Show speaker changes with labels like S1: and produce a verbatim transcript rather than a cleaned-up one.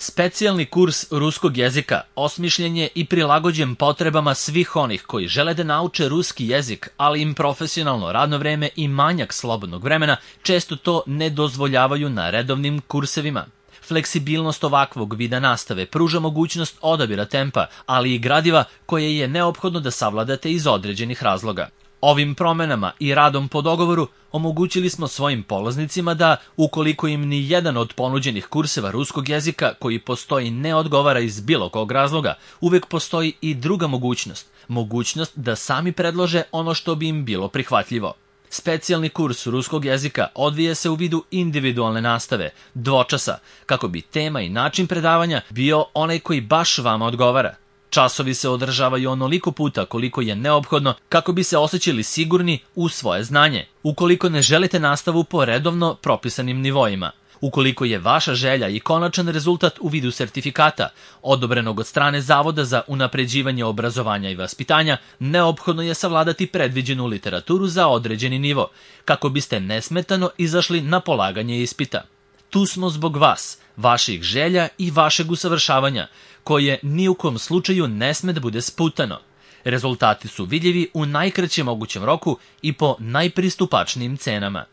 S1: Specijalni kurs ruskog jezika osmišljen je i prilagođen potrebama svih onih koji žele da nauče ruski jezik, ali im profesionalno radno vreme i manjak slobodnog vremena često to ne dozvoljavaju na redovnim kursevima. Fleksibilnost ovakvog vida nastave pruža mogućnost odabira tempa, ali i gradiva koje je neophodno da savladate iz određenih razloga. Ovim promenama i radom po dogovoru omogućili smo svojim polaznicima da, ukoliko im ni jedan od ponuđenih kurseva ruskog jezika koji postoji ne odgovara iz bilo kog razloga, uvek postoji i druga mogućnost, mogućnost da sami predlože ono što bi im bilo prihvatljivo. Specijalni kurs ruskog jezika odvija se u vidu individualne nastave, dvočasa, kako bi tema i način predavanja bio onaj koji baš vama odgovara. Časovi se održavaju onoliko puta koliko je neophodno kako bi se osjećali sigurni u svoje znanje, ukoliko ne želite nastavu po redovno propisanim nivoima. Ukoliko je vaša želja i konačan rezultat u vidu sertifikata, odobrenog od strane Zavoda za unapređivanje obrazovanja i vaspitanja, neophodno je savladati predviđenu literaturu za određeni nivo, kako biste nesmetano izašli na polaganje ispita. Tu smo zbog vas, vaših želja i vašeg usavršavanja, koje ni u kom slučaju ne sme da bude sputano. Rezultati su vidljivi u najkraćem mogućem roku i po najpristupačnijim cenama.